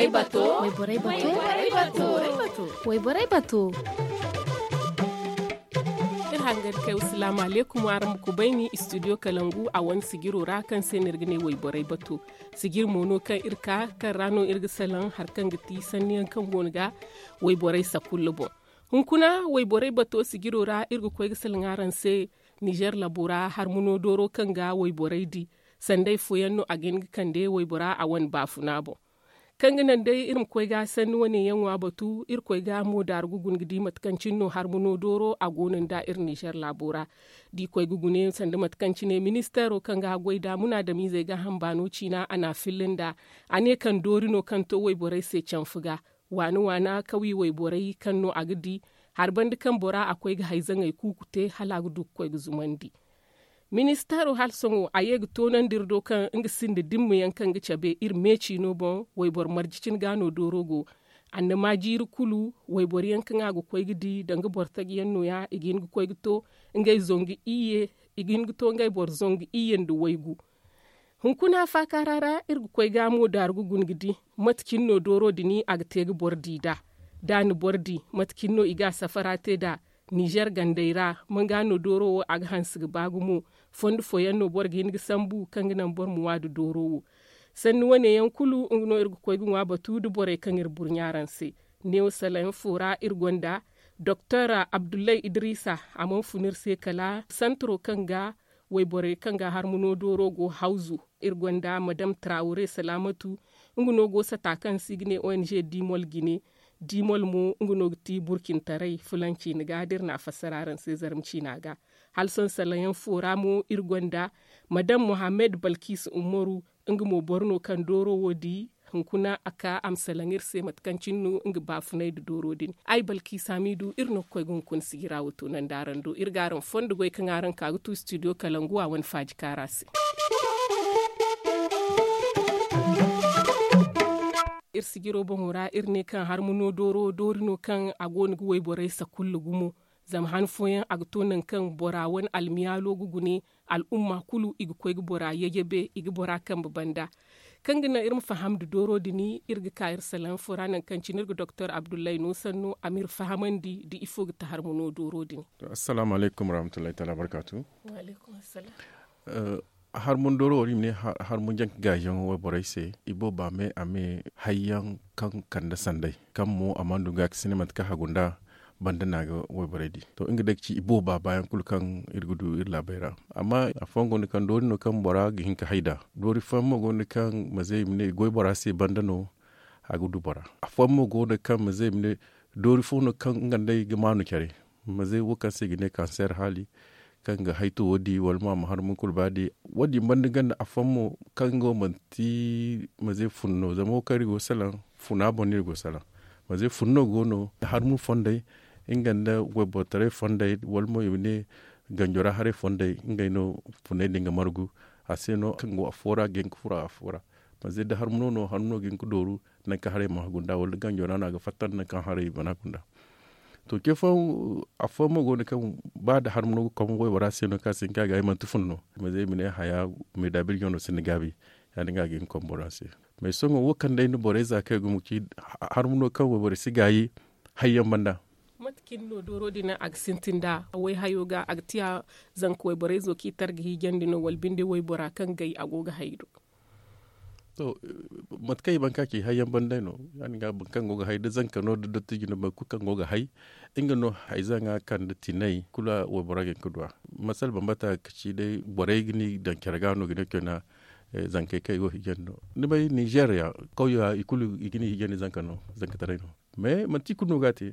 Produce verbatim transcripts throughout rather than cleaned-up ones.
Wayborey bato. Wayborey bato. Iri hangan kay wa salaamu aleykum araŋ ma kubayni istudiyo kalangu a wane sijiro ra kaŋ se no iri ga ne wayborey bato. Sijir mo no kaŋ iri ka kaŋ ra no iri ga salaŋ hari kaŋ ga ti sanni yaŋ kaŋ go no ga wayborey sakulla boŋ. Hunkuna wayborey bato sijiro ra iri ga koy ga salaŋ araŋ se. Nizer labo ra harmuno dooro kaŋ ga wayborey di sanday fooyaŋ no a ga hin ga kande waybora a wane baafuna boŋ. Kaŋ ga naŋ day iri ma koy ga sanni wane yaŋ ŋwa batu iri koy ga mo daaru ga guna ga di mate kaŋ cine no harmuno dooro a go no nda iri nizer laabo ra. Da i koy ga gune sanda mate kaŋ cine ministeero kaŋ ga goy nda munaadamizey gaaham baano ciina a n'a filla nda a ne kaŋ doori no kaŋ to wayborey se canfa ga waana waana kawi wayborey kaŋ no a ga di hari banda kaŋ bora a koy ga hayzaŋey kuuku te hala a ga du ga koy ga zumandi. Ministeero hala sohõ a ye ga toonandi iri do kaŋ nga sinda dimma yaŋ kaŋ ga cabe iri me ciino boŋ. Wayboro marje cine ga no dooro go. Annama jiiri kulu wayboro yaŋ kaŋ a ga koy ga di danga boro taji yaŋ no- ya i ga hin ga koy ga to ngey zangu iyye. I ga hin ga to ngey boro zangu iyye nda waygu. Hunkuna faakaara ra iri ga koy ga mo daaru ga guna ga di mate cine no dooro din a ga te ga boro di nd'a. Da a na boro di mate cine no i ga a safara te nd'a. Nizer gandey ra man ga no dooro wo a ga hanse ga ba gumo. Fondo fooyaŋ no boro ga hin ga sambu kaŋ ga naŋ boro ma ŋwa nda dooro wo. Sanni wane yaŋ kulu nga no iri ga koy ga ŋwa batu nda borey kaŋ iri burɲa araŋ se. Neewo salayaŋ fo ra iri gonda doktor abdullahi idrisa. A mana fun iri se kala santaro kaŋ ga wayborey kaŋ ga harmuno dooro go hawzu. Iri gonda madam trawre salaamatu. Nga no go sata kaŋ se i ga ne ong dimol jine. Dimol mo nga no ga ti burcintaray fulanci ni ga da iri na a fassara araŋ se zarma ciina ga. Hala sohõ salaŋ yaŋ fo ra mo iri gonda madam mohammed balkis umaru. Nga mo boro no kaŋ dooro wo di hunkuna a ka a ma salaŋ iri se mate kaŋ cine no nga baafunay nda dooro din. Ay balkis hamidu iri no ga koy ga hunkuna sijira wo toonandi araŋ do iri ga araŋ fondo goy kaŋ araŋ ka ga tu studio kalangu a wane faaji kaara se. Iri sijiro boŋo ra iri ne kaŋ harmuno dooro doori no kaŋ a go no ga wayborey sakulla gumo. Zama han fooyaŋ a ga to nangu kaŋ bora wane almiyaalo ga gune al'umma kulu i ga koy ga bora yajabe i ga bora kambe banda. Kaŋ ga naŋ iri ma faham nda dooro din iri ga ka iri salaŋ fo ra nangu kaŋ cine iri ga doktor abdullahi no sanno a ma iri fahamandi nda ifo ga ti harmuno dooro din. Assalaamu alaykum warahmatullahi taala barkaatu. Harmun dooro wo iri ma ne harmun janka gaayaŋ wayborey se i booba me a me hayyaŋ kaŋ kande sanday kaŋ mo a mana du ga ga sine mate kaŋ hagu nda banda no a ga wayborey di. To nga day ga ci i booba baayaŋ kulu kaŋ iri ga du iri laabey ra. Amma afooyaŋ go no kaŋ doori no kaŋ bora ga hin ga hay nd'a. Doori fooyaŋ mo go no kaŋ ma ze i ma ne i goy bora se banda no a ga du bora. Afooyaŋ mo go no kaŋ ma ze i ma ne doori fo no kaŋ nga nd'ey ga maanu care. Ma ze wo kaŋ se i ga ne kanseer haali kaŋ ga hayto wo di wala mo a ma harmun kulu ba di. Wo- din banda ganda afooyaŋ mo kaŋ nga wo manti ma ze fun no zama wo kaŋ iri go ga salaŋ funa boŋ no iri go ga salaŋ. Ma ze fun no go no harmun fondey nga nda waybortaray fondey wala mo i ma ne ganjo ra haray fondey ngey no funey din ga margu. A se no kaŋ go afo ra ga hin ga furo afo ra. Ma ze da harmuno no harmuno ga hin ga dooru nangu kaŋ haray mana gunda wala ganjo ra no a ga fatta nda nangu kaŋ haray mana gunda. To ke fooyaŋ afooyaŋ mo go no kaŋ ba nda harmuno ga kom waybora se no kaŋ a si hin ka ga ay manti fun no. Ma ze i ma ne haya meeda birjo no sinda gaabi. Ya- din ga a ga hin ga kom bora se. Mais sohõ wo kaŋ day ni borey za kaŋ ay gumo ga ci harmuno kaŋ wayborey si gaayi hayyaŋ banda. Mate cine no dooro din a ga sintin nda wayhayo ga a ga tiya zanka wayborey zo kaŋ i tar ga hiijandi no wala binde waybora kaŋ gay a go ga hay do? To mate kaŋ i ban ka ci hayyaŋ banda no ya- din ga boro kaŋ go ga hay da zanka no da dottijo no boro kulu kaŋ go ga hay nga no hayzaŋa kaŋ da tinay kulu waybora ga hin ga du a. Masala bambata ga ci day borey ga ni daŋ care ga no ga ne kayna. Zankey kaŋ i go ga hiijandi no ni bay nizeeriya kawya i kulu i ga ni hiijandi zanka no zankataray no. Mais manti i kulu no ga a te.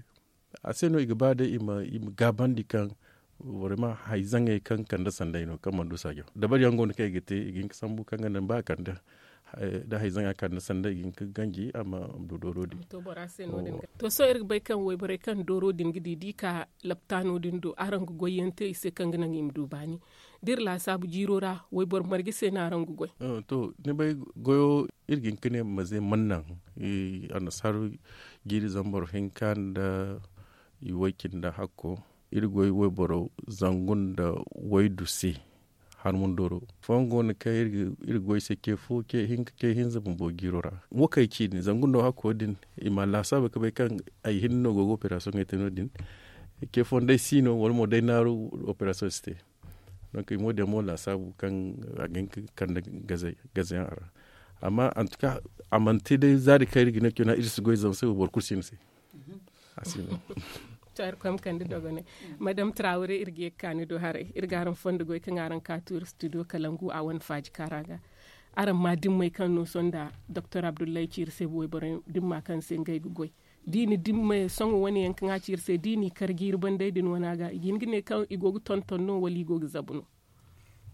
A se no i ga ba day i ma gaabandi kaŋ vraiment hayzaŋey kaŋ kande sanday no kaŋ mana du saajo dabari yaŋ go no kaŋ i ga te i ga hin ga sambu kaŋ ga naŋ ba a kande da hayzaŋa kande sanday i ga hin ga ganji a ma du dooro din. To sohõ iri ga bay kaŋ wayborey kaŋ dooro din ga di da i ka laptaano din do araŋ ga goy yaŋ te i se kaŋ ga naŋ i ma du baani da iri laasaabu jiiro ra wayboro marje se no araŋ ga goy? To ni bay goyo iri ga hin ga ne maze mana naŋ annasaara jiiri zambar hinka nda i way cindi hakko iri goy wayboro zangu nda waydu se. Harmundoro fooyaŋ go no kaŋ iri ga goy se ce fo ce hinza bumbo jiiro ra. Wo kaŋ ay ci din zama gunda wo hakko din i ma a laasaabu ga bay kaŋ ay hinne no go ga operasoŋey te no- din. Ce fooyaŋ day si no wala mo day naaru operasoŋ si te. Donk i mo din mo laasaabu kaŋ a ga hin ga kande gaze yaŋ a ra. Amma antuka a mana te day zaari kaŋ iri ga ne cuna iri si goy zama se wo boro kulu si no se. A si no. To iri koy ma kande dogonay. Madame traawre iri ga ye ga ka ni do haray iri ga araŋ fondo goy kaŋ araŋ ka tu iri studio kalangu a wane faaji kaara ga. Araŋ ma dimmey kaŋ no sohõ nda doktor abdullahi ci iri se wayborey dimma kaŋ se ngey ga goy. Da i na dimmey sohõ wane yaŋ kaŋ a ci iri se da i n'i kar jiiri banday din wane a ga i ga hin ga ne kaŋ i go ga tonton no wala i go ga zabu no?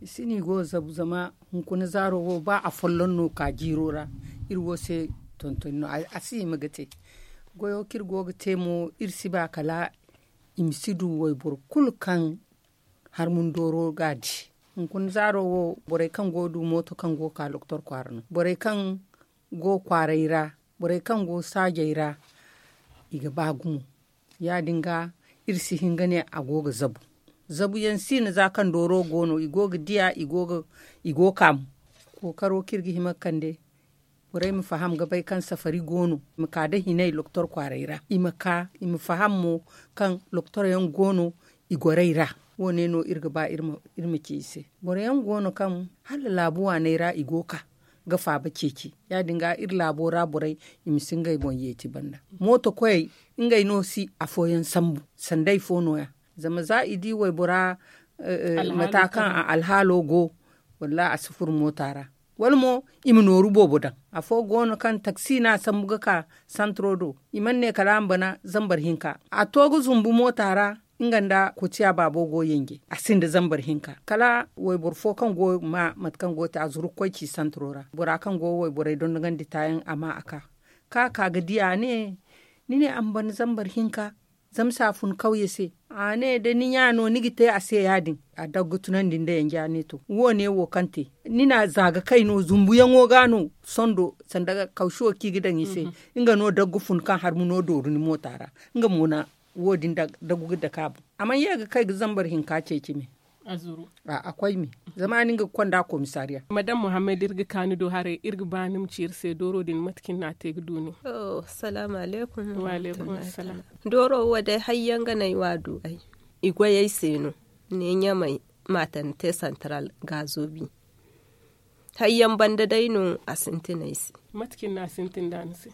I si no i go ga zabu zama hunkuna zaaro wo ba afolloŋ no ka jiiro ra. Iri wo se tontoni no a si hima ga te. Goyo kaŋ iri go ga te mo iri si ba kala i ma si du wayboro kulu kaŋ harmundooro ga a di. Hunkuna zaaro wo borey kaŋ go ga du mooto kaŋ go ga ka doktor kwaara no borey kaŋ go ga kwaaray ra, borey kaŋ go saajey ra, i ga ba gumo. Ya- din ga iri si hin ga ne a go ga zabu. Zabu yaŋ si no za kaŋ dooro go no i go ga diya i go ga ka mo. Kookaro kaŋ iri ga hima ga kande borey ma faham ga bay kaŋ safari go no i ma ka nda hinay doktor kwaaray ra i ma ka i ma faham mo kaŋ doktor yaŋ go no i gorey ra. Wo- ne no iri ga ba iri ma ci i se. Boro yaŋ go no kaŋ hala laabu waaney ra i go ga ka ga faaba ceeci. Ya- din ga iri laabo ra borey i ma si ngey boŋ yeeti banda. Mooto koyey ngey no si afooyaŋ sambu sanda ay fo no- ya. Zama za i di waybora mata kaŋ a alhaalo go, wallahi a si furo moota ra. Wala mo i ma nooru boobo daŋ. Afo go no kaŋ taksi no a sambu ga ka santiro do i mana ne kala a ma bana zambar hinka a to ga zumbu moota ra. Nga nda kotiya baabo go yanje a sinda zambar hinka kala wayboro fo kaŋ go ga ma mate kaŋ go ga te a zuru ga koy ci santiro ra bora kaŋ go ga wayborey dondogandi taayaŋ a ma a ka. Ka ka ga di a ne ni ne a ma bana zambar hinka zama se a fun kawye se. A ne da ni ɲa no ni ga te a se ya- din a dagga tunandi nda yanja ne to wo- ne wo kaŋ te ni na za ga kay no zumbuyaŋo ga no sondo sanda kausuwo kaŋ i ga daŋ i se. Nga no dagga fun kaŋ harmuno dooru ni moota ra nga mo na wo- din dagu ga dake a boŋ. A mana ye ga kay ga zambar hinka ceeci me. A koy me zama ni nga ga konda komisariya. Madame muhammad iri ga ka ni do haray iri ga ba ni ma ci iri se dooro din mate kaŋ ni na a te ga du nin. Salaamu alaykum. Dooro wo day hayyaŋ ga no ay wa du ay i goy ay se no. Ne ɲamay maternité central gaazo bi. Hayyaŋ banda day no a sintin ay se. Mate kaŋ ni na a sintin da ni se?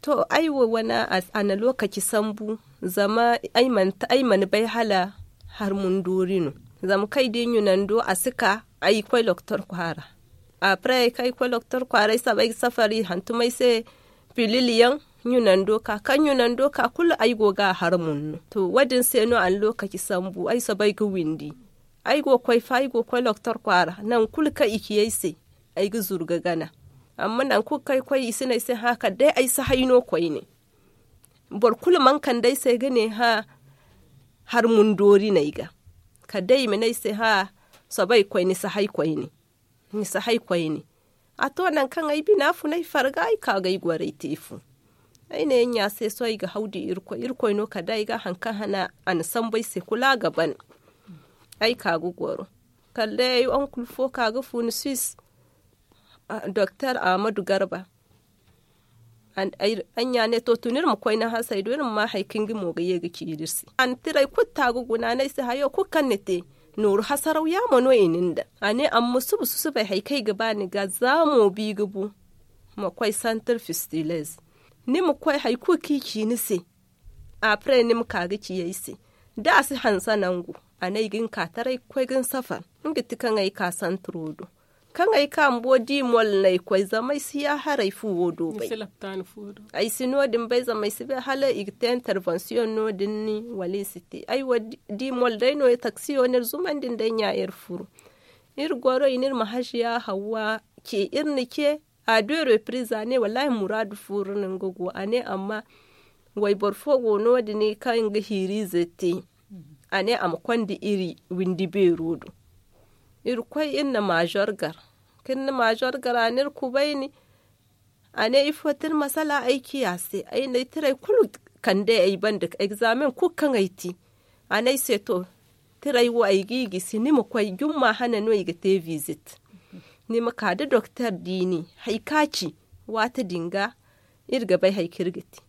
To ay wo wane a na lokaci sambu zama ay mana bay hala harmundoori no. Zama kaŋ ay di ɲunando a si ka ay koy doktor kwaara. Après kaŋ ay koy doktor kwaara ay saba ay ga safari hantum ay se pilil yaŋ ɲunando ka kaŋ ɲunando ka kulu ay go ga a harmun no. To wo- din se no a na lokaci sambu ay saba ay ga windi. Ay go ga koy fa ay go ga koy doktor kwaara nangu kulu kaŋ i ci ay se ay ga zuru ga gana. Amma nangu kulu kaŋ ay koy i si ne ay se hã kala day ay si hay no koyne. Boro kulu mana kande ay se ga ne hã harmundoori no ay ga. Kala day i ma ne ay se hã soobay koy ni si hay koyne. Ni si hay koyne. A to nangu kaŋ ay bina fun ay farga ay ka ga ay goro ay te fu. Ay ne ay ɲa se sohõ ay ga haw di irkoy irkoy no kala day ay ga haŋ kaŋ hana a na sambu ay se kulu a ga ban. Ay ka ga goro kala day ay onkul fo ka ga fu ni suisse. Doktor ahmadu garba. Ay ɲa ne to tun iri ma koy ni hasey do iri ma ma hari kaŋ nga mo ga ye ga ciiri iri se. A na tiray kulu ta ga guna no ay se hayo kulu kaŋ ni te nooru hasaraw yaamo no i na ni daŋ. A ne amma suba susubay hari kaŋ ay ga ba ni ga za mo bi ga bu. Ma koy santir fistilez ni ma koy hari kulu kaŋ i ci ni se. Après ni ma ka ga ci ay se da a si hanse nangu. A ne ay ga hin ka taray ga koy ga ni safar. Nga ti kaŋ ay ka santiro do kaŋ ay ka bumbo di mol no ay koy zama ay si ya haray fuwo do bay. Ay si no- din bay zama ay si bay hala i ga te intervention no- din ni wala i si te ay wo di mol day no taksiyo no iri zumandi nda ay ɲa iri furu. Iri goro i ne iri ma haziya hawwa ce iri na ce. A deux reprises a ne wallahi muraadu furu no nga go a ne amma wayboro fo go no- din kaŋ ga hiiriize te. A ne a ma konda iri windi beero do. Iri koy iri na major gar kaŋ iri na major gar a na iri kubayni. A ne ifo ti ni masala ay ciya se ay na ay tiray kulu kande ay banda examen kulu kaŋ ay te. A ne ay se to Tiray wo ay g'i gisi ni ma koy jumma hane no i ga te visit. Ni ma ka da doktor diini hari ka ci waati din ga iri ga bay hari kaŋ iri ga te.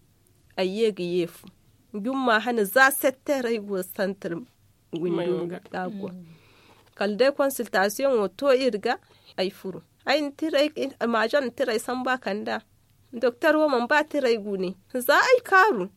Ay ye ga ye fu jumma hane za setter ay go santir windo ga go. Kala day konsiltasiyoŋo to iri ga ay furu. Ay na tiray maazan na tiray samba kand'a. Doktor wo mana ba tiray gune za ay kaaru.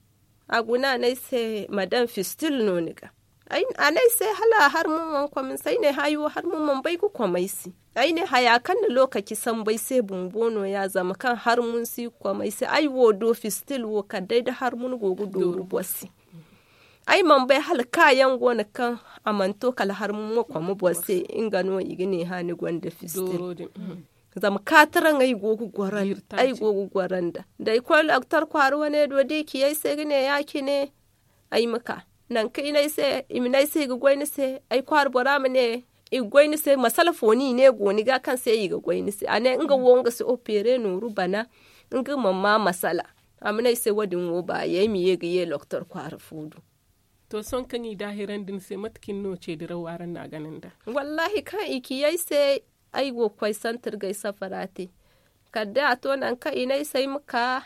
A guna a ne ay se madam fistil no ni ga. A ne ay se hala a harmun mana kom ni se ay ne haayi wo harmun mana bay ga kom ay se. Ay ne haya kaŋ na lookaci sambu ay se bumbo no- ya zama kaŋ harmun si ga kom ay se ay wo do fistil wo kala day da harmun go ga dooru boro se. Ay mana bay hala kaayaŋ go no kaŋ a mana to kala harmun ma kom boro se. Nga no i ga ne hã ni gonda fistil. Zama kaataraŋ ay go ga goro nda da ay koy doktor kwaara wane do da i ci ay se ga ne ya- cine ay ma ka nangu kaŋ i ne ay se i ma ne ay se i ga goy ni se. Ay kwaara bora ma ne i ga goy ni se masala fo no i ne go ni ga kaŋ se i ga goy ni se a ne nga wo nga si opere nooru bana. Nga mana ma masala. A ma ne ay se wo- din wo baayi ay ma ye ga ye doktor kwaara fo do. To sohõ kaŋ i daahirandi ni se mate cine no ceediraw araŋ na a gana nd'a? Wallaahi kaŋ i ci ay se ay go ga koy santir ga ay safara te. Kala day a to nangu kaŋ i ne ay se ay ma ka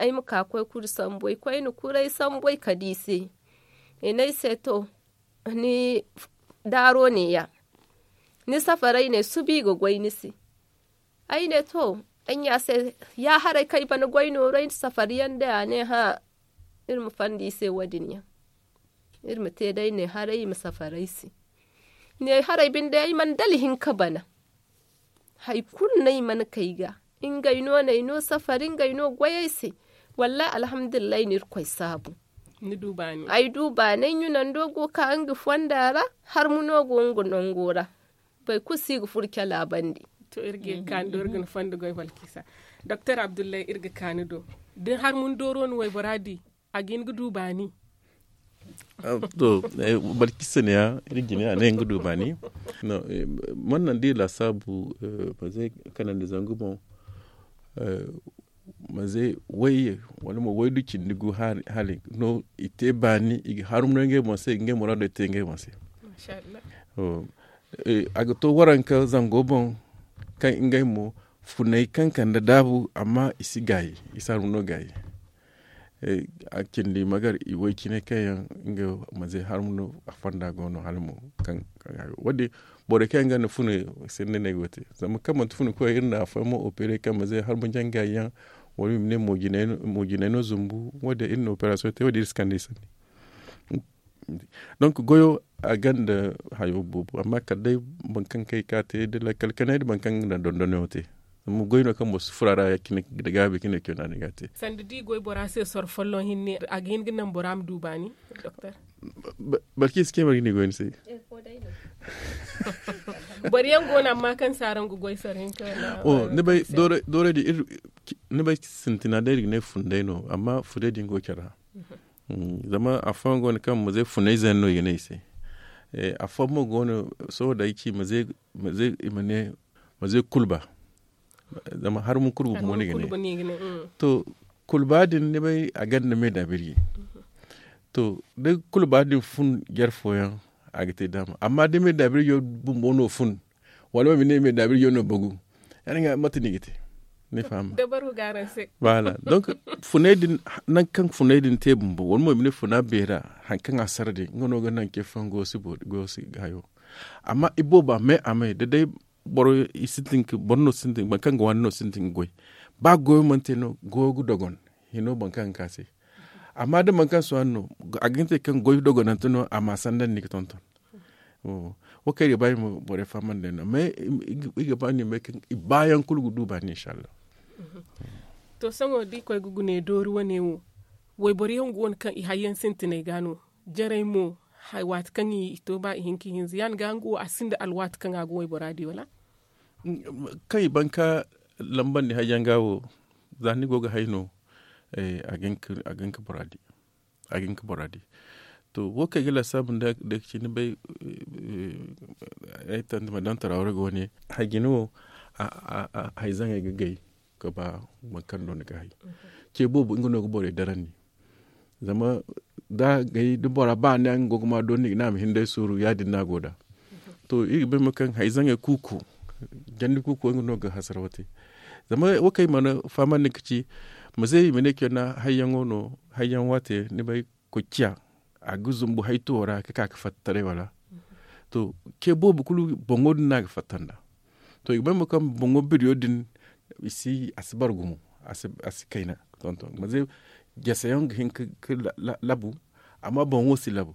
ay ma ka koy kuri sambu ay koyne kuri ay sambu ay kala i se. I ne ay se to ni daaro ne- ya ni safaray ne suba i ga goy ni se. Ay ne to ay ɲa se ya haray kaŋ ay bana goy nooru ay na safari yaŋ day a ne hã. Iri ma fanda i se wo- din yaŋ iri ma te day ne haray i ma safari ay se. Ne haray binde ay mana dala hinka bana. Hari kulu no ay mana kay ga. Ngey no no ay no safari ngey no goy ay se. Wallaahi alhamdulillahi no irkoy saabu. Ay du baanay ɲunando go ga ka nga fonda ra. Harmu no go nga nango ra. Boro kulu si ga furo cala bande. To iri ga ye ga kaanu do iri ga ni fondo goy balkisa. Doktor abdullahi iri ga kaanu do da ni harmu ni dooro no waybora di a ga hin ga du baani? To balkisa ne ya iri jine a ne hin ga du baani. Man naŋ da iri laasaabu manze kanandi zangu boŋ manze way wala mo waydu cindi gu hari no i te baani i ga harumno ngey boŋ se i ga ngey muraado te ngey boŋ se. A ga to waranka zango boŋ kaŋ ngey mo funay kaŋ kande daabu amma i si gaayi i si harumno gaayi. A cindi magar i way cine kaŋ yaŋ nga manze harumno a fonda go no hala mo kaŋ wo- din borey kaŋ yaŋ ga na funa sinda no ay go ga te zama kaŋ manti funa koy iri na afooyaŋ mo opere kaŋ manze harumno jaŋ gaayi yaŋ wala i ma ne mo jinay no zumbu wo- din iri na operasiyoŋ te wo- din iri si kande i sanni. Donc goyo a gonda hayo boobo amma kala day boro kaŋ kay ka te da lakkal kanay da boro kaŋ ga naŋ dondonyaŋo te. Zama goy no kaŋ boro si furo a ra ya cine da gaabi cine cine a ne ga a te. Sanda da i goy bora se soro folloŋ hinne a ga hin ga naŋ bora ma du baani? Doktor boro kaŋ i si ce boro ga ni goy ni se. Boro yaŋ go no amma kaŋ si araŋ ga goy soro hinka wala? Ni bay doorey din iri ni bay sintina day iri ga ne funday no amma funday din go care ra. Zama afooyaŋ go no kaŋ ma zay funay zay no i ga ne i se. Afooyaŋ mo go no sohõ da ay ci ma zay ma zay i ma ne ma zay kulba. Zama harmu kulba gumo no i ga ne. To kulba din ni bay a gonda me daabirji. To da kulba din fun jar fooyaŋ a ga te daama amma da me daabirjo bumbo no fun wala mo ma ne me daabirjo no bagu. Yaŋ ga mate no i ga te? Ni faham? Voilà. Donc funay din nangu kaŋ funay din te bumbo wala mo i ma ne funa beera hari kaŋ a sara din nga no ga naŋ ce fooyaŋ goyo si hayo. Amma iboobo a may a may da day boro no sintin ga goy. Ba goyo mana te no goyo ga dogon hino boro kaŋ ga ka se. Amma da boro kaŋ si wane no a ga hin te kaŋ goy dogonante no a ma sandandi ga tonton. Wo kaŋ iri ga ba iri ma borey fahamandi day no mais iri ga ba no i ma bay kaŋ i baayaŋ kulu ga du baani inshallah. To sohõ da i koy ga gune doori wane wo wayboro yaŋ go no kaŋ i hayyaŋ sintinay ga no jarey mo waati kaŋ i to ba i hin ka i hinza ya ni ga nga wo a sinda alwaati kaŋ a ga waybora di wala? Kaŋ i ban ka lambandi hayyaŋ ga wo za ni go ga hay no a ga hin ka bora di. A ga hin ka bora di. To wo kaŋ ay ga laasaabu nda day ga ci ni bay ay tandi ma daŋ taraawre ga wane hay jine wo hay zaŋey ga gay ga ba boro kaŋ do ni ga hay. Ce boobo nga no ga borey darandi. Zama da gay da bora ba ne nga go ga ma dooni i ga ne a ma hin day sooru ya- din no a go nd'a. To iri ga bay mo kaŋ hari zaŋey kuuku jandi kuuku nga no ga hasaraw te. Zama wo kaŋ i mana fahamandi ga ci ma ze i ma ne kayna hayyaŋo no hayyaŋ waate ni bay, koy ciya a ga zumbu haytuwo ra ga ka ga fatta taray wala. To ce boobo kulu boŋo din no a ga fatta nd'a. To i ga bay mo kaŋ boŋo biriyo din i si a si bara gumo a si kayna. Tonton ma ze jaseyaŋ ga hin ga labu amma boŋo si labu.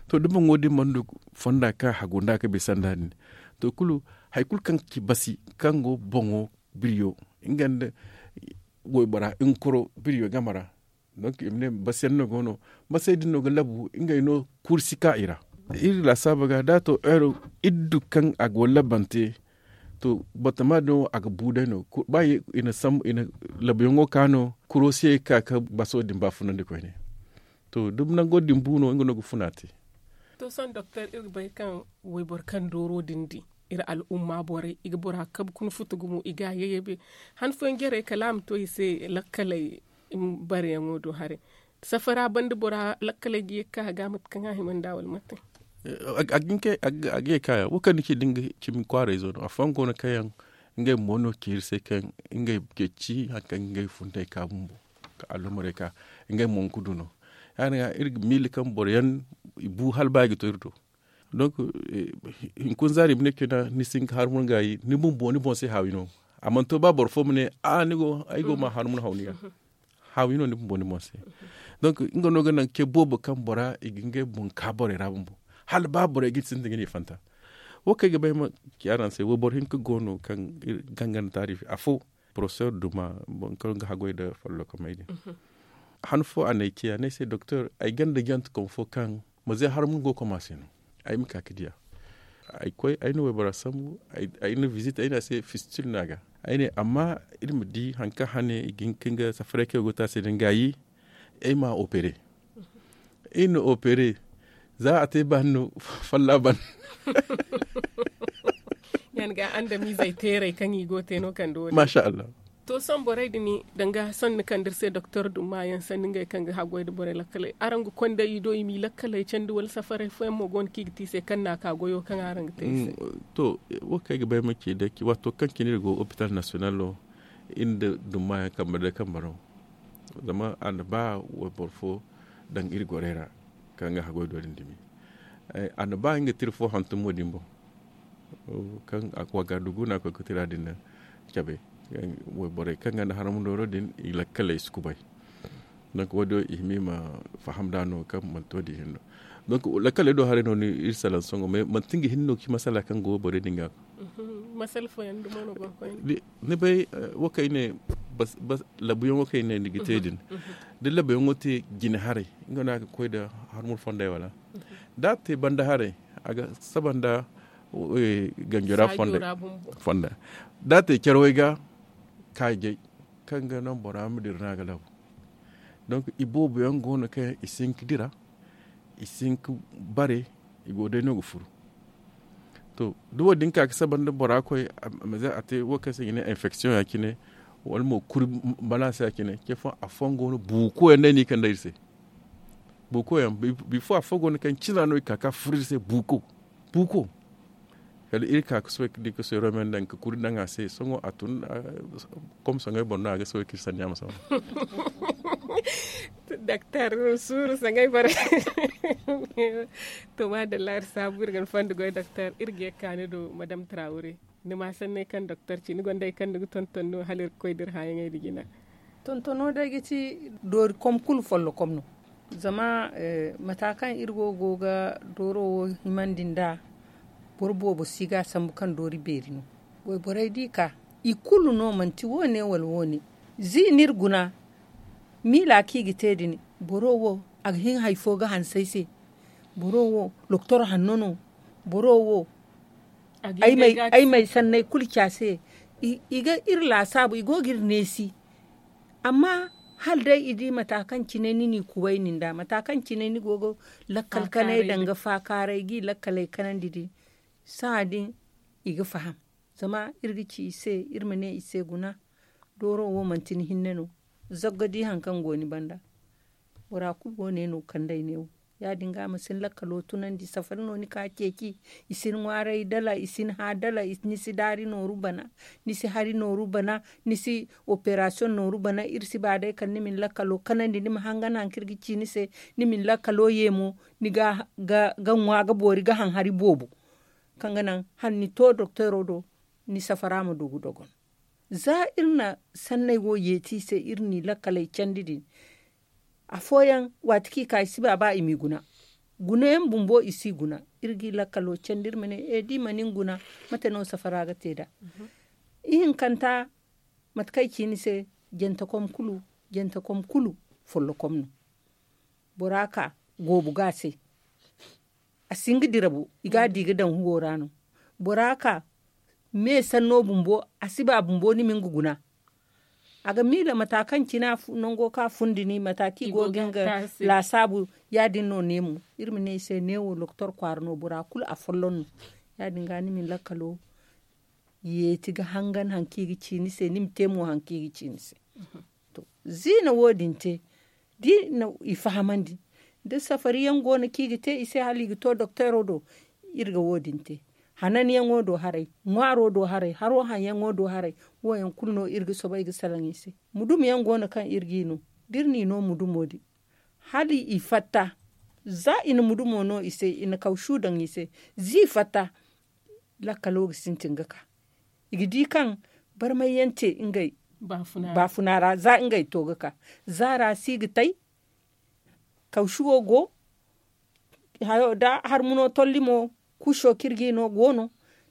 To da boŋo din mana du fonda kaŋ a hagu nd'a ga bisa nd'a din to kulu hari kulu kaŋ ga ci basi kaŋ go boŋo biriyo nga nda waybora hinkaro biriyo game ra. Donk i ma ne basiyaŋ no go no basey din no ga labu ngey no kuuru si ka i ra. Iri laasaabo ga da a to heero iri du kaŋ a go labante to batama din wo a ga bu day no ba i na sambu i na labuyaŋo ka no kuro se ga ka ga baso din baafunandi koyne. To da nango din bu no nga no ga funa te. To sohõ doktor iri ga bay kaŋ wayboro kaŋ dooro din di iri al'umma borey i ga bora kabe kuna futu gumo i ga a yayyabe. Han fooyaŋ jarey kala a ma to i se lakkaley bareyaŋo do haray. Safara banda bora lakkaley ga ye ga ka a ga mate kaŋ a hima nd'a wala mate? A ga ye ga ka ya wo kaŋ ni ci da nga cimi kwaarayzo no afooyaŋ go no kaŋ yaŋ ngey mo no ci iri se kaŋ ngey ceeci hari kaŋ ga ngey fundey ka bumbo ka allumarey ka ngey mo ga du no. Ya- din ga iri ga miila kaŋ boro yaŋ i bu hala ba i ga to iri do. Donk hinkuna zaari i ma ne kayna ni si hin ga harmur gaayi ni bumbo ni boŋ se haawi no. A mana to ba boro fo ma ne a ni go ay go ma harmur haw ni ga. Haawi no ni bumbo ni boŋ se. Donk nga no ga naŋ ce boobo kaŋ bora i ga ngey boŋ ka borey ra bumbo hala ba borey ga sintin ga ne i fanta. Wo kaŋ ay ga bay ma ci araŋ se wayboro hinka go no kaŋ ganganda taarifi afo porofesor duma boro kaŋ ga haggoy nda follokomey din. Han fo a n'ay ciya ne ay se doktor ay gonda jantekom fo kaŋ maze harmur go koma se no. Ay ma ka ga diya ay koy ay na waybora sambu ay na visite ay ne a se fistil no a ga. Ay ne amma iri ma di hari kaŋ hane i ga hin ga nga safaray kaŋ ay go ga te a se din gaayi. Ay ma a opere iri na opere za a te baani no. Folla ban yan ga andamiizey teeray kaŋ i go ga te no kande wo- din maasa allah. To sohõ borey din danga sanni kaŋ da iri se doktor dumma yaŋ sanni ngey kaŋ ga haggoy nda borey lakkaley araŋ ga konda i do i m'i lakkaley candi wala safaray fooyaŋ mo go no kaŋ i ga te i se kaŋ no a ka goyo kaŋ araŋ ga te i se? To wo kaŋ ay ga bay ma ci day waato kaŋ cine iri go hopital nasiyonalo iri nda dumma yaŋ kambe day kambe no. Zama a na ba wayboro fo daŋ iri gorey ra kaŋ ga haggoy do din dumi. A na ba nga ga te iri fo hantum wo- din boŋ kaŋ a ga wagga dugu no a ga koy ga tira din cabe. Borey kaŋ gonda harma dooro din i lakkaley si kubay. Donk wo- din wo i hima i ma faham nd'a no kaŋ manti wo- din hinne no. Donk lakkaley do haray no iri salaŋ sohõ manti nga hinne no ga ci masala kaŋ go borey din ga. Masala fooyaŋ dumo no go ga koy ni bay wo kaŋ ay ne labuyaŋo kaŋ ay ne ni ga te din da labuyaŋo te jine haray nga no a ga koy nda harmur fondey wala? Da a te banda haray a ga saba nda ganjora fonda. Da a te carwey ga kaajay kaŋ ga naŋ bora ma dira no a ga labu. Donk iboobo yaŋ go no kaŋ yaŋ i si hin ga dira i si hin ga bare i go day no ga furu. To da wo- din ka ga saba nda bora koy a ma ze a te wo kaŋ se i ga ne infection ya cine wala mo kuri balaasa ya cine ce fooyaŋ afooyaŋ go no buuko yaŋ day no i kande iri se. Buuko yaŋ bifo afo go no kaŋ cina no i ka ga furo iri se buuko. Buuko kala iri ka ga soobay ga di ga soobay romen daŋ ga kuri daŋ a se sohõ a tun. Kom soŋay boro no a ga soobay ga iri sanni a ma sohõ. Doktor suuru saŋay bare. To maadalla iri saabu iri ga ni fondo goy doktor iri ga ye ga ka ni do madam trawure. Ni ma sanney kaŋ doktor ci ni gonda hari kaŋ ni ga tonton no hala iri ga koy da iri hããyaŋey nda jina. Tontono day ga ci doori kom kulu follokom no. Zama mata kaŋ iri wo go ga dooro wo himandi nd'a boro boobo si ga a sambu kaŋ doori beeri no. Wayborey da i ka i kulu no manti wo- ne wala wo- ne. Zi no iri guna miila kaŋ i ga te din boro wo a ga hin hari fo ga hanse ay se. Boro wo doktor hanno no. Boro wo ay ma ay sanney kulu ci a se. I ga iri laasaabu i go ga iri neesi. Amma hala day i di mata kaŋ cine ni n'i kubay nin da mata kaŋ cine ni go ga lakkal kanay danga faakaaray ga i lakkaley kanandi din. Sahã din i ga faham. Zama iri ga ci i se iri ma ne i se guna. Dooro wo manti ni hinne no. Zagga di hari kaŋ go ni banda. Bora kulu go ne no kandey ne wo. Ya- din ga a ma si ni lakkalo tunandi safari no ni ka ceeci. I si ni ŋwaaray dala i si ni hã dala ni si daari nooru bana, ni si hari nooru bana, ni si operasiyoŋ nooru bana iri si ba day kala ni ma ni lakkalo kanandi ni ma hangan haŋ kaŋ iri ga ci ni se. Ni ma ni lakkalo ye mo, ni ga ŋwa ga boori ga haŋ hari boobo, kaŋ ga naŋ hala ni to dokteero do, ni safara ma du ga dogon. Za iri na sanney wo yeeti i se iri n'i lakkaley candi din. Afooyaŋ waati kaŋ i ka i si ba ba i m'i guna. Gunayaŋ bumbo i si guna. Iri g'i lakkalo candi iri ma ne, e da i mana ni guna, mate no safara ga te nd'a? Ihinkanta, mate kaŋ ay ci ni se, jantekom kulu jantekom kulu follokom no. Bora ka goobu ga a se. A si hin ga dira bo, i ga a di ga daŋ huwo ra no. Bora ka me sanno bumbo, a si ba bumbo ni ma nga guna. A ga miila mata kaŋ cine nango kaŋ a fundi ni mata kaŋ i go ga nga laasaabu. Ya- din no ne mo, iri ma ne i se ne wo doktor kwaara no bora kulu a folloŋ no. Ya- din ga ni ma ni lakkalo yeeti ga hangan haŋ kaŋ i ga ci ni se ni ma te mo haŋ kaŋ i ga ci ni se. Ziina wo- din te da i na i fahamandi, da safari yaŋ go no kaŋ i ga te i se hala i ga to dokteero do. Iri ga wo- din te, hananyaŋo do haray, ŋwaaro do haray, haro haŋyaŋo do haray. Wo- yaŋ kulu no iri ga soobay ga salaŋ i se. Mudum yaŋ go no kaŋ iri g'i no, da iri n'i no mudumo din, hala i fatta. Za i na mudumo no i se, i na kawsu daŋ i se, za i fatta, lakkalo ga sintin ga ka. I ga di kaŋ barmay yaŋ te ngey baafuna ra za ngey to ga ka. Zaara si ga tay, kawsuwo go, hayo da harmuno tolli mo, kuso kaŋ iri g'i no go no.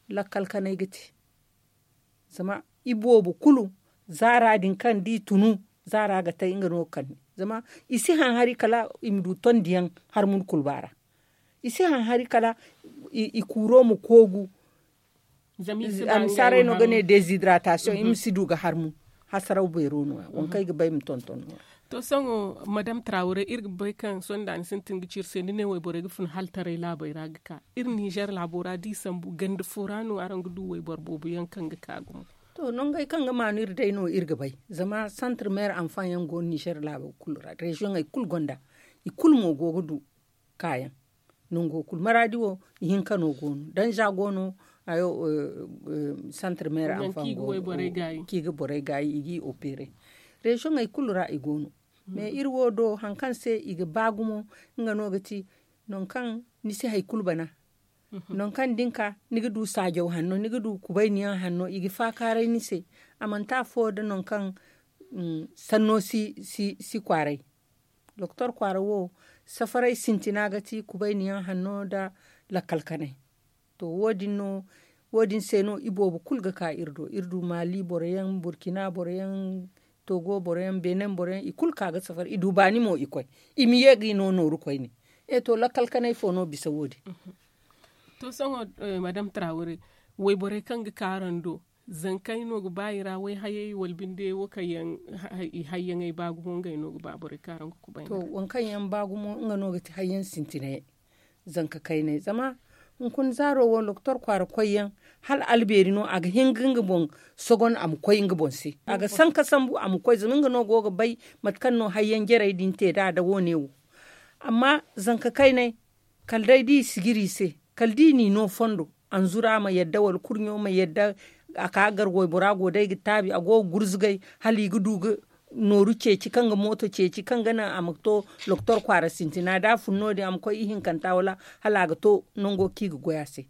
Lakkal kanay ga te. Zama i boobo kulu, zaara din kaŋ da i tunu, zaara ga tay nga no ga kande. Zama i si haŋ hari kala i ma du tondiyaŋ harmun kulba ra. I si haŋ hari kala i kuuro ma koogu. A ma si haray no ga ne dezidrataasiyoŋ i ma si du ga harmu. Hasaraw beero no- ya waŋ kaŋ ay ga bay ma tonton no- ya. To sohõ, madam trawre iri ga bay kaŋ sohõ da ni sintin ga ci iri se ni ne wayborey ga fun haltaray laabey ra ga ka. Iri nizer laabo ra da i sambu ganda fo ra no araŋ ga du wayboro boobo yaŋ kaŋ ga ka gumo? To nongey kaŋ ga maanu iri day no iri ga bay. Zama santre meere anfaŋ yaŋ go no nizer laabo kulu ra reziyoŋey kulu gonda. I kulu mo go ga du kaayaŋ. Nango kulu maraadi wo, ihinka no go no danza go no. Santre meere anfaŋ go no kaŋ i ga borey gaayi i g'i opere. Reziyoŋey kulu ra i go no. Mais iri wo do hari kaŋ se i ga ba gumo, nga no ga ti nangu kaŋ ni si hari kulu bana. Nangu kaŋ da ni ka, ni ga du saajaw hanno ni ga du kubayni yaŋ hanno i ga faakaaray ni se. A manti afo nda nangu kaŋ sanno si kwaaray. Doktor kwaara wo, safaray sintina ga ti kubayni yaŋ hanno nda lakkal kanay. To wo- din se no i boobo kulu ga ka iri do iri du maali boro yaŋ burkina boro yaŋ, togo boro yaŋ benin boro yaŋ i kulu ka ga safari i du baani mo i koy. I ma ye ga i no nooru koyne. E to lakkal kanay fo no bisa wo- din? To sohõ, madam trawre, wayborey kaŋ ga ka araŋ do, zankey no ga ba i ra wayhayey wala binde wo kaŋ yaŋ i hayyaŋey ba gumo ngey no ga ba borey kaŋ araŋ ga kubay to waŋ kaŋ yaŋ ba gumo nga no ga ti hayyaŋ sintinayey. Zanka kaynay zama hunkuna zaaro wo doktor kwaara koyyaŋ, hala albeeri no a ga hin ga nga boŋ sogon a ma koy nga boŋ se. A ga sanka sambu a ma koy zama nga no go ga bay mate kaŋ no hayyaŋ jarey din te nd'a nda wo- ne wo. Amma zanka kaynay, kala day da i sijiri i se, kala da i n'i no fondo, anzura ma yadda wala kurɲo ma yadda. A ka ga gar waybora go day ga taabi a go ga gurzugay hala i ga du ga nooru ceeci kaŋ ga mooto ceeci kaŋ ga naŋ a ma to doktor kwaara sintina da a fun no- din a ma koy ihinkanta wala hala a ga to nango kaŋ i ga goy a se.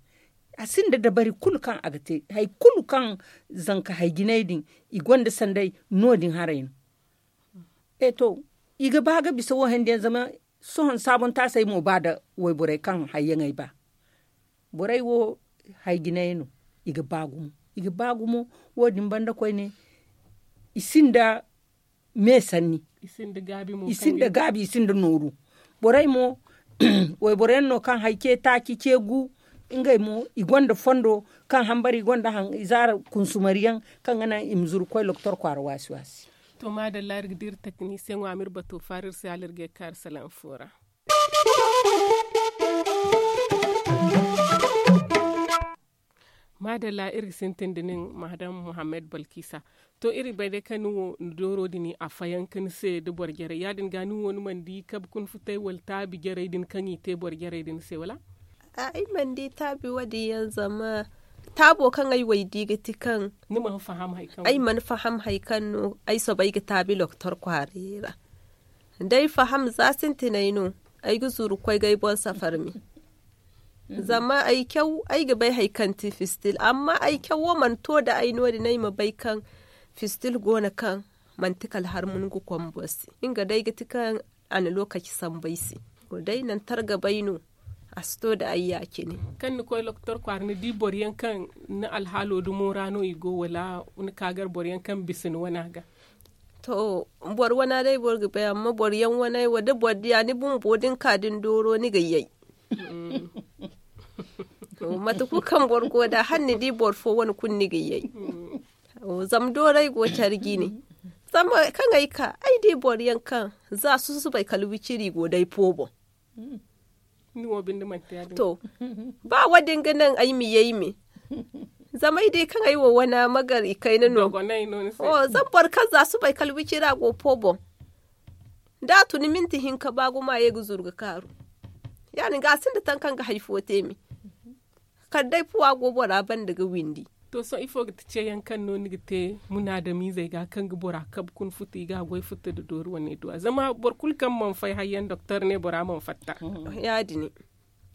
A sinda dabari kulu kaŋ a ga te hari kulu kaŋ zanka hari jinay din i gonda sanday no- din haray no. E to, i ga ba ga bisa wo handi yaŋ zama sohõ saabontaasey mo ba nda wayborey kaŋ hayyaŋey ba. Borey wo hari jinay no. I ga ba gumo i ga ba gumo. Wo- din banda koyne i sinda me sanni. I sinda gaabi i sinda nooru. Borey mo wayboro yaŋ no kaŋ hari ce taaci ce gu. Ngey mo i gonda fondo kaŋ hambara i gonda zaara kunsumari yaŋ kaŋ ga naŋ i ma zuru ga koy doktor kwaara waasi waasi. To maadalla iri ga dira teknisiyeŋo a ma iri bato faara iri se hala iri ga ye ga ka iri salaŋ fo ra. Adalla iri ga sintin da nin maadam muhammad balkisa. To iri ga bay day kaŋ ni wo ni dooro din a fayanka ni se da boro jarey ya- din ga ni wo ni mana di kabe kuna futay wala taabi jarey din kaŋ i te boro jarey din se wala? Ay mana di taabi wo- din yaŋ zama taabo kaŋ ay wo ay di ga ti kaŋ ay mana faham hari kaŋ no ay soobay ga taabi loktor kwaaray ra. Da ay faham za sintinay no ay ga zuru ga koy ga ay boŋ safar me. Zama ay caw ay ga bay hari kaŋ ti fistil amma ay caw wo mana to da ay no- din ay ma bay kaŋ fistil go no kaŋ manti kala har mun ga koy boro se. Nga day ga ti kaŋ a na lookaci sambu ay se. Day nangu tara ga bay no a si to da ay ya- cine. Kaŋ ni koy loktor kwaara ni di boro yaŋ kaŋ ni alhaalo dumo ra no i go wala ni ka gar boro yaŋ kaŋ bisa ni wana ga? To, boro wana day boro ga bay amma boro yaŋ wana wo da boro diya ni bumbo da ni ka da ni dooro ni ga yay. Mate kulu kaŋ boro go nd'a hala ni di boro fo wane kulu ni ga yay. Zama dooray go care jine. Zama kaŋ ay ka ay di boro yaŋ kaŋ za susubay kala wiciri go day po boŋ. To, ba wo- din ga naŋ ay ma yay me. Zama ay di kaŋ ay wo wana magar i kayna no. Zama boro kaŋ za subay kala wicira go po boŋ. Da a tun minti hinka ba gumo a ye ga zuru ga kaaru. Ya- din ga a sinda taŋ kaŋ ga hari fo te me. Kala day fuwa go bora banda ga windi. To sohõ ifo ga ti ceeyaŋ kaŋ no ni ga te munaadamiizey ga kaŋ ga bora kabe kuna futa i ga a goy futa nda doori wane duwa zama boro kulu kaŋ mana fay hayyaŋ doktor ne bora mana fatta.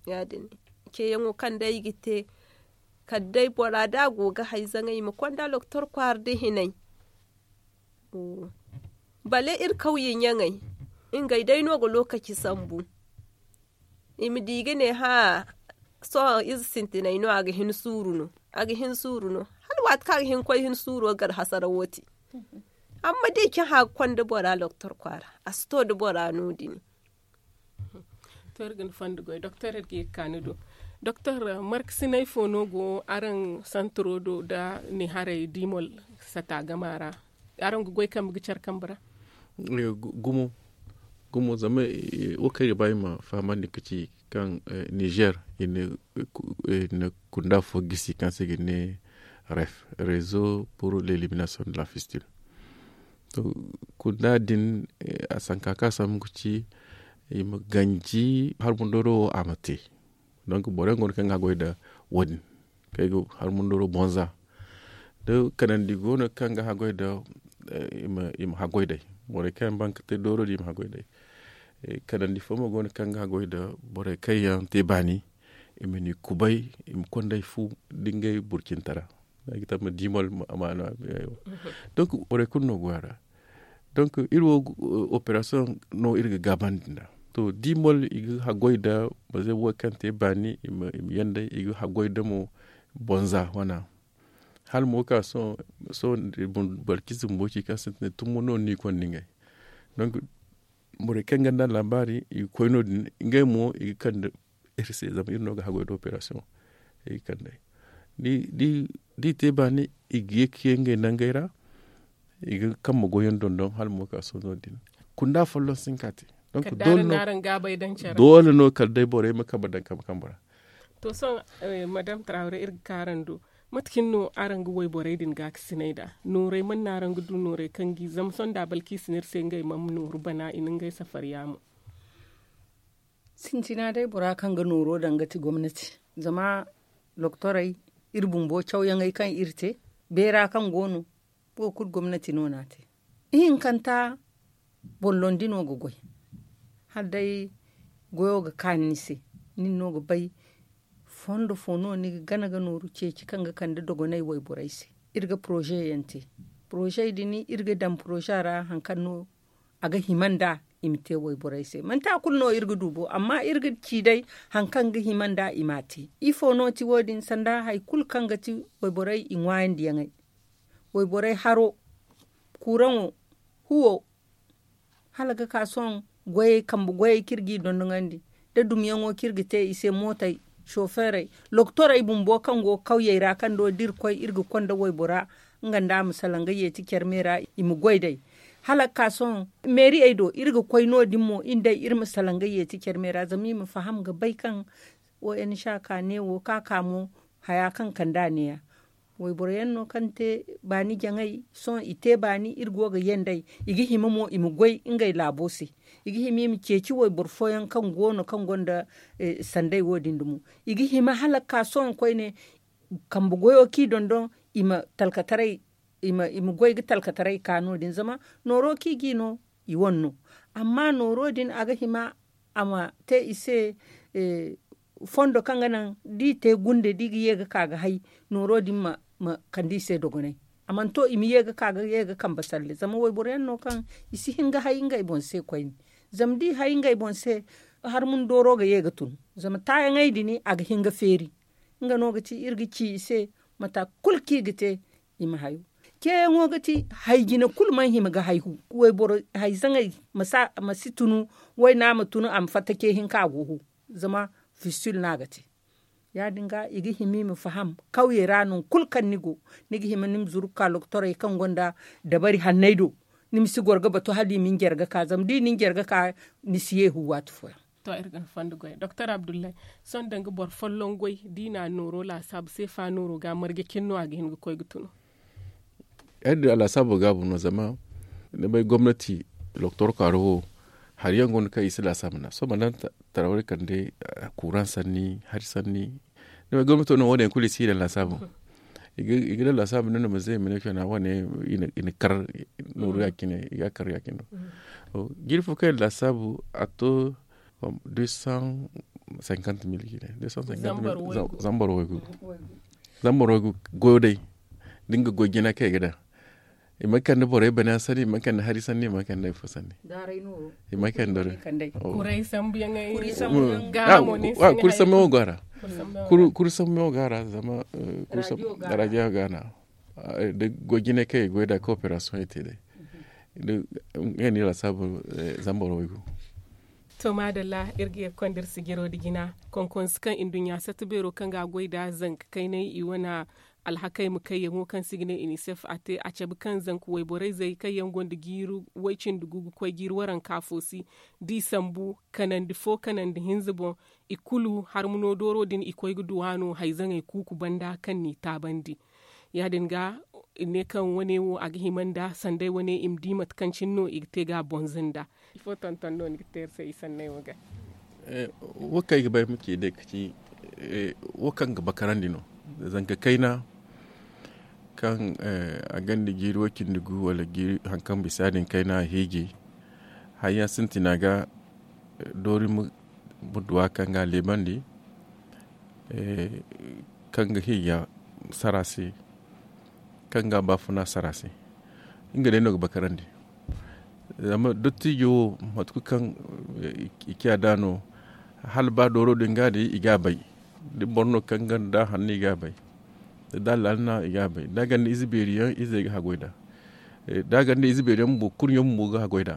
Ya- din ceeyaŋo kaŋ day i ga te kala day bora da a go ga hay zaŋay i ma konda doktor kwaara da hinay. Bale iri kawye ɲaŋey ngey day no ga lookaci sambu. I ma di ga ne hã sohõ ize sintinay no a ga hin suuru no. A ga hin suuru no hala waati kaŋ a ga hin ga koy hin suuro gar hasara wo te. Amma da i cahã ga konda bora doktor kwaara a si to nda bora no- din. To iri ga ni fondo goy doktor iri ga ye ga ka ni do. Doktor markasinay fo no go araŋ santaro do nda ni haray dimol sata gama ra? Araŋ ga goy kambe ga care kambe ra? Gumo gumo zama wo kaŋ ay ga ba ay ma fahamandi ga ci kaŋ nizer i na kunda fo gisi kaŋ se i ga ne ref, rezo pour l'elimination de la fistil. To kunda din a sanka kaŋ a sambu ga ci i ma ganji harmundoro wo a ma te. Donc boro yaŋ go no kaŋ ga haggoy nda wo- din kaŋ ay ga harmundoro bonza. Da kanandi go no kaŋ ga haggoy nda i ma haggoy day. Borey kaŋ yaŋ ban ga te dooro din i ma haggoy day. Kanandi fo mo go no kaŋ ga haggoy nda borey kaŋ yaŋ te baani i ma ni kubay i ma konda ay fu nda ngey burcintara. Ay ga tamma dimol amaana. Donc borey kulu no go a ra. Donc iri wo operasiyoŋ no iri ga gaabandi nd'a. To dimol i ga haggoy nda maze wo kaŋ te baani i ma yanda i ga haggoy nda mo bonza wana. Hala mo ga ka sohõ boro ciize bumbo ci kaŋ sintinay tummo no ni konda ngey. Donc borey kaŋ ganda laabaari i ga koy no- din ngey mo i ga kande iri se zama iri no ga haggoy nda operasiyoŋ. I ga kande ay da i te baani i ga ye ga ye ngey nangey ra. I ga kambe goyyaŋ dondon hala mo ga ka sohõ no- din kunda folloŋ si hin ka te. Donc doole no kala day borey ma kambe daŋ kambe kambe ra. To sohõ madam trawre iri ga ka araŋ do. Mate cine no araŋ ga wayborey din gaakasinay nd'a? Noorey mana no araŋ ga du noorey kaŋ ga i zama sohõ nda balkiisi no iri se ngey mana nooru bana i na ngey safariya mo. Sintina day bora kaŋ ga nooro daŋ ga ti gomnati. Zama doktorey iri bumbo cawyaŋey kaŋ iri te beera kaŋ go no. Wo kulu gomnati no n'a te. Ihinkanta bollondi no ga goy. Hala day goyo ga kaanu ni se. Nin no ga bay fondo fo no ni ga gana ga nooru ceeci kaŋ ga kande dogonay wayborey se. Iri ga poroze yaŋ te. Poroze din iri ga daŋ poroze ra hari kaŋ no a ga hima nd'a i ma te wayborey se manti a kulu no iri ga du bo amma iri ga ci day hari kaŋ ga hima nd'a i m'a te. Ifo no ti wo- din sanda hari kulu kaŋ ga ti wayborey i ŋwaayandiyaŋey, wayborey haro, kuuraŋo, huwo, hala ga ka sohõ goyey kambe goyey kaŋ iri g'i dondoŋandi, nda dumyaŋo kaŋ iri ga te i se mootey, sofeerey, loktorey bumbo kaŋ go kawyey ra kaŋ do da iri koy iri ga konda waybora, nga nda a ma salaŋ ga yeeti care me ra i ma goy day. Hala ga ka sohõ meeriyey do iri ga koy no- din mo iri day iri ma salaŋ ga yeeti care me ra zama i ma faham ga bay kaŋ, o n c ka ne wo ka ka mo haya kaŋ kand'a neeya. Wayboro yaŋ no kaŋ te baani jaŋay sohõ i te baani iri go ga ye nd'ey. I ga hima mo i ma goy ngey laabo se. I ga hima i ma ceeci wayboro fooyaŋ kaŋ go no kaŋ gonda sandey wo- din dumo. I ga hima hala ga ka sohõ koyne kambe goyo kaŋ i dondon i ma talkataray i ma goy ga talkataray ka no- din zama nooro kaŋ i g'i no i wane no. Amma nooro din a ga hima a ma te i se fondo kaŋ ga naŋ da i te gunde da i ga ye ga ka ga hay nooro din ma kande i se dogonay. A mana to i ma ye ga ka ga ye ga kambe salle zama wayboro yaŋ no kaŋ i si hin ga hay ngey boŋ se koyne. Zama da i hay ngey boŋ se harmuna dooro ga ye ga tun. Zama taayaŋey din a ga hin ga feeri. Nga no ga ti iri ga ci i se mata kulu kaŋ i ga te i ma hayo. Ceeyaŋo ga ti hay jine kulu mana hima ga hay hu. Wayboro hay zaŋey ma si tunu wayna ma tunu a ma fatta ce hinka a go hu. Zama fistil no a ga te. Ya- din ga i ga hima i ma faham kawyey ra nangu kulu kaŋ ni go ni ga hima ni ma zuru ga ka lokotorey kaŋ gonda dabari hanney do. Ni ma si goro ga batu hala i ma ni jare ga ka zama da i na ni jare ga ka ni si ye hu waati fooyaŋ. To iri ga ni fondo goy doktor abdullahi. Sohõ danga boro folloŋ goy da i na nooro laasaabu seefa nooro ga marje cine no a ga hin ga koy ga tunu. Ay din a laasaabo gaabu no zama ni bay gomnati lokotor kaaro wo hari yaŋ go no kaŋ i si laasaabu nd'a sohõ mana daŋ tarawey kande kuuraŋ sanni hari sanni. Ni bay gomnato no wo- din yaŋ kulu i si i daŋ laasaabu. I ga daŋ laasaabu ni no ma ze i ma ne kayna wane i na kar nooru ya- cine i ga a kar ya- cine no. Jiiri fo kaŋ i na laasaabu a to deux cent cinquante mille cine. Zambar waygu zambar waygu goyo day. Da nga goy jina kaŋ i ga daŋ i ma kande borey bana sanni i ma kande hari sanni i ma kande ifo sanni. I ma kande kuray sambu yaŋ. Kuri sambu yaŋ go a ra. Kuri sambu yaŋ go a ra zama radiyo ga a na da goy jina kaŋ i ga goy da kooperasiyoŋ i te day. Nga no i ra saabu zambar waygu. To maadalla iri ga ye ga konda iri sijiro nda jina konkonsi kaŋ nduɲɲa sata beero kaŋ ga a goy nd'a zanka kaynay i wane alhakey ma kayyaŋo kaŋ se i ga ne inisef a te a cabe kaŋ zanka wayborey zey kaŋ yaŋ gonda jiiri way-cindi gu ga koy jiiri waranka fo se da i sambu kanandi fo kanandi hinza boŋ. I kulu harmuno dooro din i koy ga duw'a no hayzaŋey kuuku banda kaŋ n'i taabandi. Ya- din ga i ne kaŋ wane wo a ga hima nda sanday wane i ma di mate kaŋ cine no i ga te ga a bonza nda. Ifo tonton no ni ga te iri se i sanney wo ga? Wo kaŋ ay ga ba ay ma ci day ga ci wo kaŋ ga bakarandi no. Zanka kayna kaŋ a gonda jiiri way-cindi gu wala haŋ kaŋ bisa din kayna a hiiji. Hari yaŋ sintina ga doori ma duw'a kaŋ ga a leebandi kaŋ ga hiija sara se kaŋ ga a baafuna sara se. Nga day no ga bakarandi. Zama dottijo wo mate kulu kaŋ i ciya nd'a no hala ba dooro din ga day i ga a bay. Da boro no kaŋ gonda hanno i ga a bay. Da allaali no i ga a bay da a gonda ize beeri yaŋ izey ga haggoy nd'a. Da a gonda ize beeri yaŋ bumbo kurɲo bumbo ga haggoy nd'a.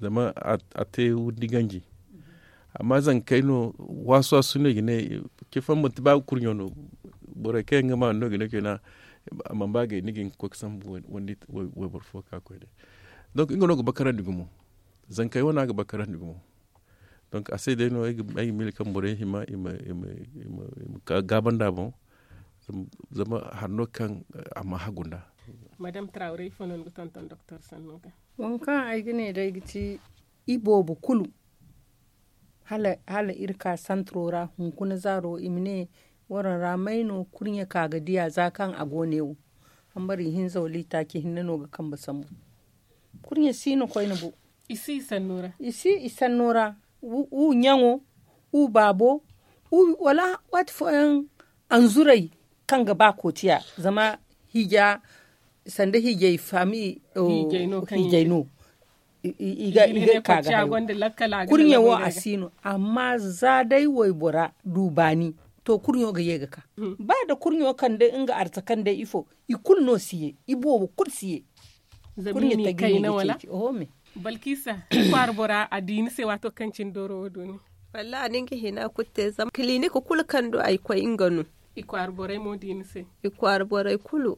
Zama a te windi ganji. Amma zankey no waasu waasu no i ga ne. Cifo manti ba kurɲo no. Borey kaŋ yaŋ ga ma no ga ne kayna a mana ba gay ni ga hin ga koy ga sambu wayboro fo ga ka ga koy day. Donk nga no ga bakarandi gumo. Zankey wane a ga bakarandi gumo. Donk a se day no ay ga miila kaŋ borey hima i ma gaabandi a boŋ. Zama hari no kaŋ a ma hagu nd'a. Madame traawre ifo no ni ga tonton doktor sanno ga? Waŋ kaŋ ay ga ne day ga ti i boobo kulu hala iri ka santiro ra hunkuna zaaro i ma ne waraŋ ra may no kurɲe ka ga diya za kaŋ a go ne wo. Hambari hinza wala itaaci hinne no ga kambe sambu. Kurɲe si no koyne bo. I si i sanno ra. Wu ɲaŋo wu baabo wala waati fooyaŋ anzuray kaŋ ga ba kootiya zama hiija sanda hiijay faami hiijay no i ga ka ga hayo. Kurɲe wo a si no amma za day waybora du baani to kurɲo ga ye ga ka. Ba nda kurɲo kande nga arza kande ifo i kulu no si ye i boobo kulu si ye. Kurɲe ta ga i ne ga ceeci oho me. Balkisa kwaara bora a di ni se waato kaŋ cine dooro wo du ni? Wallahi ni ga hina kulu te zama kilinik kulu kaŋ du ay koy nga no. I kwaara borey mo di ni se? I kwaara borey kulu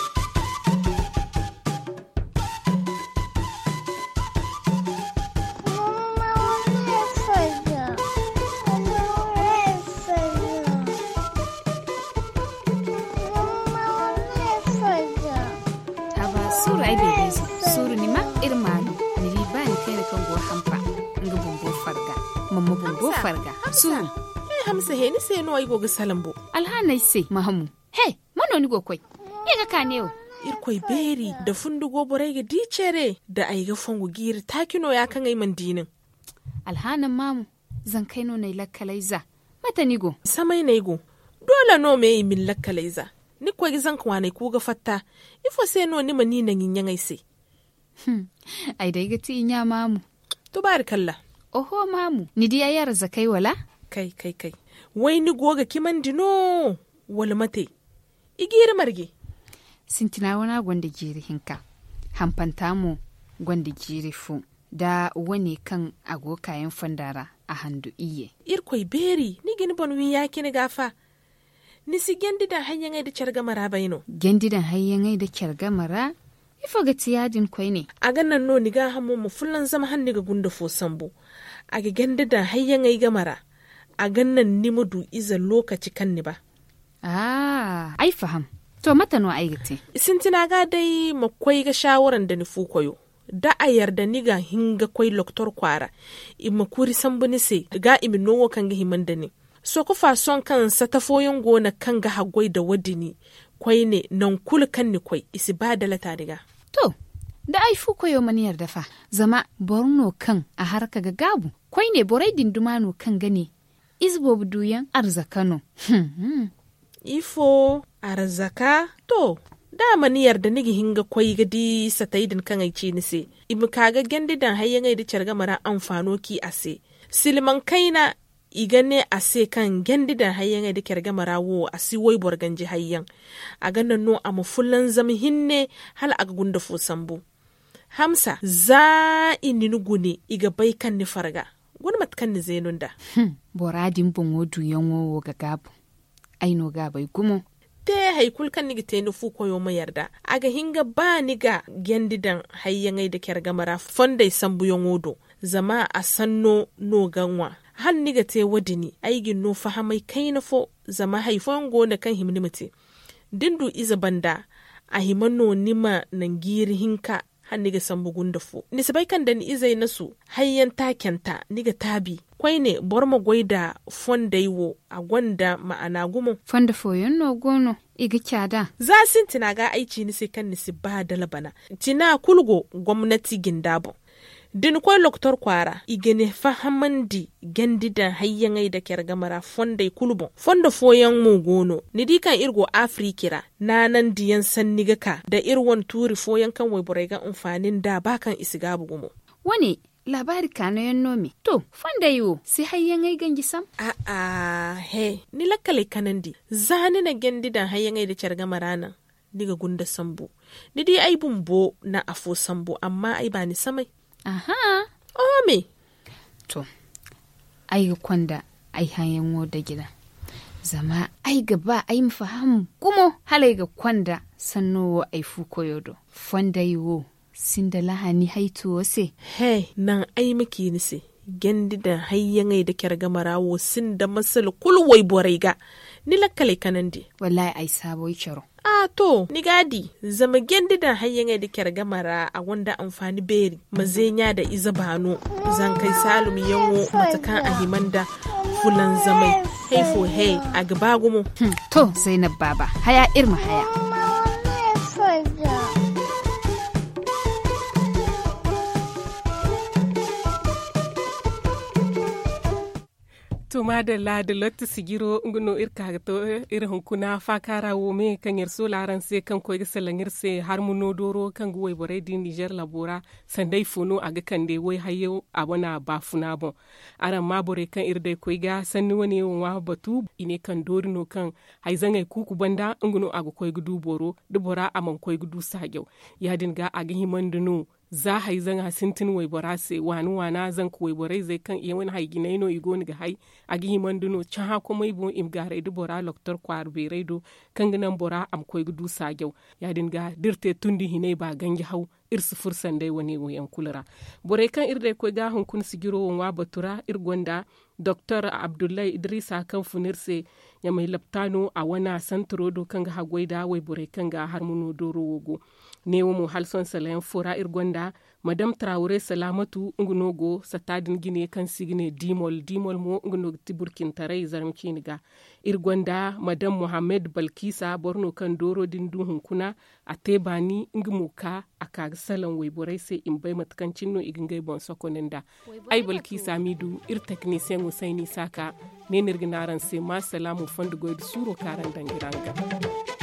Suuru ay beebeezo, suuru ni ma iri maanu. Ni di ba ni kayna kaŋ go hampa, nga bumbo farga. Mamma bumbo farga. Suuru. Ay hamsa he ni se no ay go ga salambo. Alhaanay se mahamu. He, mano ni go koy? Ye ga ka neewo. Irkoy beeri, da fundi go borey ga di cere da ay ga fongu jiiri taaci no ya kaŋ ay mana di nin. Alhaana maamu. Zankey no n'ay lakkalay za. Mate ni go? Samay n'ay go. Doole no me i ma ni lakkalay za. Ni ga koy ga zanka waaney ku ga fatta. Ifo se no ni ma ni naŋ i ɲaŋey se? Ay day ga ti i ɲa maamu. Tubaari kalla. Oho maamu, ni di ay arzakey wala? Kay kay kay. Way ni go ga cimandi no? Wala mate? I jiiri marje. Sintina wana gonda jiiri hinka. Hampanta mo gonda jiiri fo. Da wane kaŋ a go kaayaŋ fonda ra a handu iyye. Irkoy beeri, ni ga ni boŋ wi ya-cine ga fa. Ni si jandi daŋ hayyaŋey nda care game ra bay no? Jandi daŋ hayyaŋey nda care game ra. Ifo ga ti ya-din koyne? A ga naŋ no ni gaahamo ma fulanzam hala ni ga gunda fo sambu. A ga jandi daŋ hayyaŋey game ra. A ga naŋ ni ma du ize lookaci kaŋ ni ba. Ay faham. To mate no ay ga te? Sintina ga day ma koy ga saawara nda ni fu koyo. Da a yarda ni ga hin ga koy loktor kwaara. I ma kuri sambu ni se ga i ma noowo kaŋ ga hima nda ni. Sokofa sohõ kaŋ sata fooyaŋ go no kaŋ ga haggoy nda wo- din. Koyne nangu kulu kaŋ ni koy i si ba dalata ni ga. To, da ay fu koyo mana yarda fa? Zama boro no kaŋ a harka ga gaabu. Koyne borey din duma no kaŋ ga ne ize boobo duyaŋ arzaka no. Ifo? Arzaka? To, da a mana yarda ni ga hin ga koy ga di satey din kaŋ ay ci ni se. I ma ka ga jandi daŋ hayyaŋey nda care game ra anfaano ci a se. Silmaŋ kayna, i ga ne a se kaŋ jandi daŋ hayyaŋey nda care game ra wo a si wayboro ganji hayyaŋ. A ga naŋ no a ma fulanzam hinne hala a ga gunda fo sambu. Hamsa, za i na ni gune i ga bay kaŋ ni farga. Guna mate kaŋ ni zeenu nda. Bora din boŋo duyaŋo wo ga gaabu. Ay no ga a bay gumo. Te hari kulu kaŋ ni ga te ni fu koyo ma yarda a ga hin ga ba ni ga jandi daŋ hayyaŋey nda care game ra fondey sambuyaŋo do. Zama a sanno no ga ŋwa. Hala ni ga te wo- din ay ga ni no fahamay kayna fo. Zama hari fooyaŋ go no kaŋ hima ni ma te. Da ni du ize banda a hima no ni ma naŋ jiiri hinka. Hala ni ga sambu gunda fo ni si bay kaŋ da ni izey nasu hayyaŋ taacanta ni ga taabi. Koyne boro ma goy nda fondey wo a gonda ma'ana gumo. Fondo fooyaŋ no go no i ga caada. Za sintina ga ay ci ni se kaŋ ni si ba dala bana. Tina kulu go gomnati jinda boŋ. Da ni koy loktor kwaara i ga ni fahamandi jandi daŋ hayyaŋey nda care game ra fondey kulu boŋ. Fondo fooyaŋ mo go no ni di kaŋ iri go afiriki ra. Naanandiyaŋ sanni ga ka nda iri wane tuuri fooyaŋ kaŋ wayborey ga anfaani nd'a ba kaŋ i si gaabu gumo. Wane laabaari kaanayaŋ no me to fondey wo si hayyaŋey ganji sam? A'a he ni lakkaley kanandi. Za ni na jandi daŋ hayyaŋey nda care game ra naŋ ni ga gunda sambu. Ni di ay bumbo na afo sambu amma ay baani samay. Aha. Oho me. To, ay ga konda ay hayaŋo daji ra. Zama ay ga ba ay ma faham gumo hala ay ga konda sanno wo ay fu koyo do. Fondey wo sinda lahani haytuwo se. He naŋ ay ma ci ni se. Jandi daŋ hayyaŋey nda care game ra wo sinda masala kulu wayborey ga. Ni lakkaley kanandi. Wallahi ay saabo ay caro. A to ni ga a di. Zama jandi daŋ hayyaŋey nda care game ra a gonda anfaani beeri. Ma zeeɲa nda ize baano. Zankey saalumyaŋo mate kaŋ a hima nda fulanzamay. Hay fo he a ga ba gumo. To zaynab baaba haya iri ma haya. To maadalla da lotti sijiro nga no iri ka ga to iri hunkuna faakaara wo me kaŋ iri soola araŋ se kaŋ koy ga salaŋ iri se harmuno dooro kaŋ ga wayborey din nizer labo ra. Sanda ifo no a ga kande way hayyaŋ a wane baafuna boŋ. Araŋ ma borey kaŋ iri day koy ga sanni wane wo ŋwa batu i ne kaŋ doori no kaŋ hayzaŋey kuuku banda nga no a ga koy ga du boro da bora a mana koy ga du saajaw. Ya- din ga a ga himandi no za hayzaŋa sintin waybora se waani waana zanka wayborey zey kaŋ i wane hay jinay no i go no ga hay. A ga himandi no cahã komey boŋ i ma gaaray da bora loktor kwaara beerey do kaŋ ga naŋ bora a ma koy ga du saajaw. Ya- din ga da iri te tundi hinay ba ganji haw iri si furo sanday wane wo yaŋ kulu ra. Borey kaŋ iri day koy ga hunkuna sijiro wo ŋwa batu ra iri gonda doktor abdullahi idrisa kaŋ fun iri se Ɲamay laptaano a wane santaro do kaŋ ga haggoy nda wayborey kaŋ ga harmuno dooro wo go. Neewo mo hala sohõ salayaŋ fo ra iri gonda madam tarawure salaamatu nga no go satta din jine kaŋ se i ga ne dimol dimol mo nga no ga ti burkintaray zarma ciine ga. Iri gonda madam mohammed balkisa boro no kaŋ dooro din du hunkuna a te baani nga mo ka a ka ga salaŋ wayborey se i ma bay mate kaŋ cine no i ga ngey boŋ sokoney nda. Ay balkisa m'i du iri teknisiyeŋo sayni saaka. Ne no iri ga ne araŋ se ma salaamu fondo goy nda suuro kaŋ araŋ daŋ ga iri araŋ ga.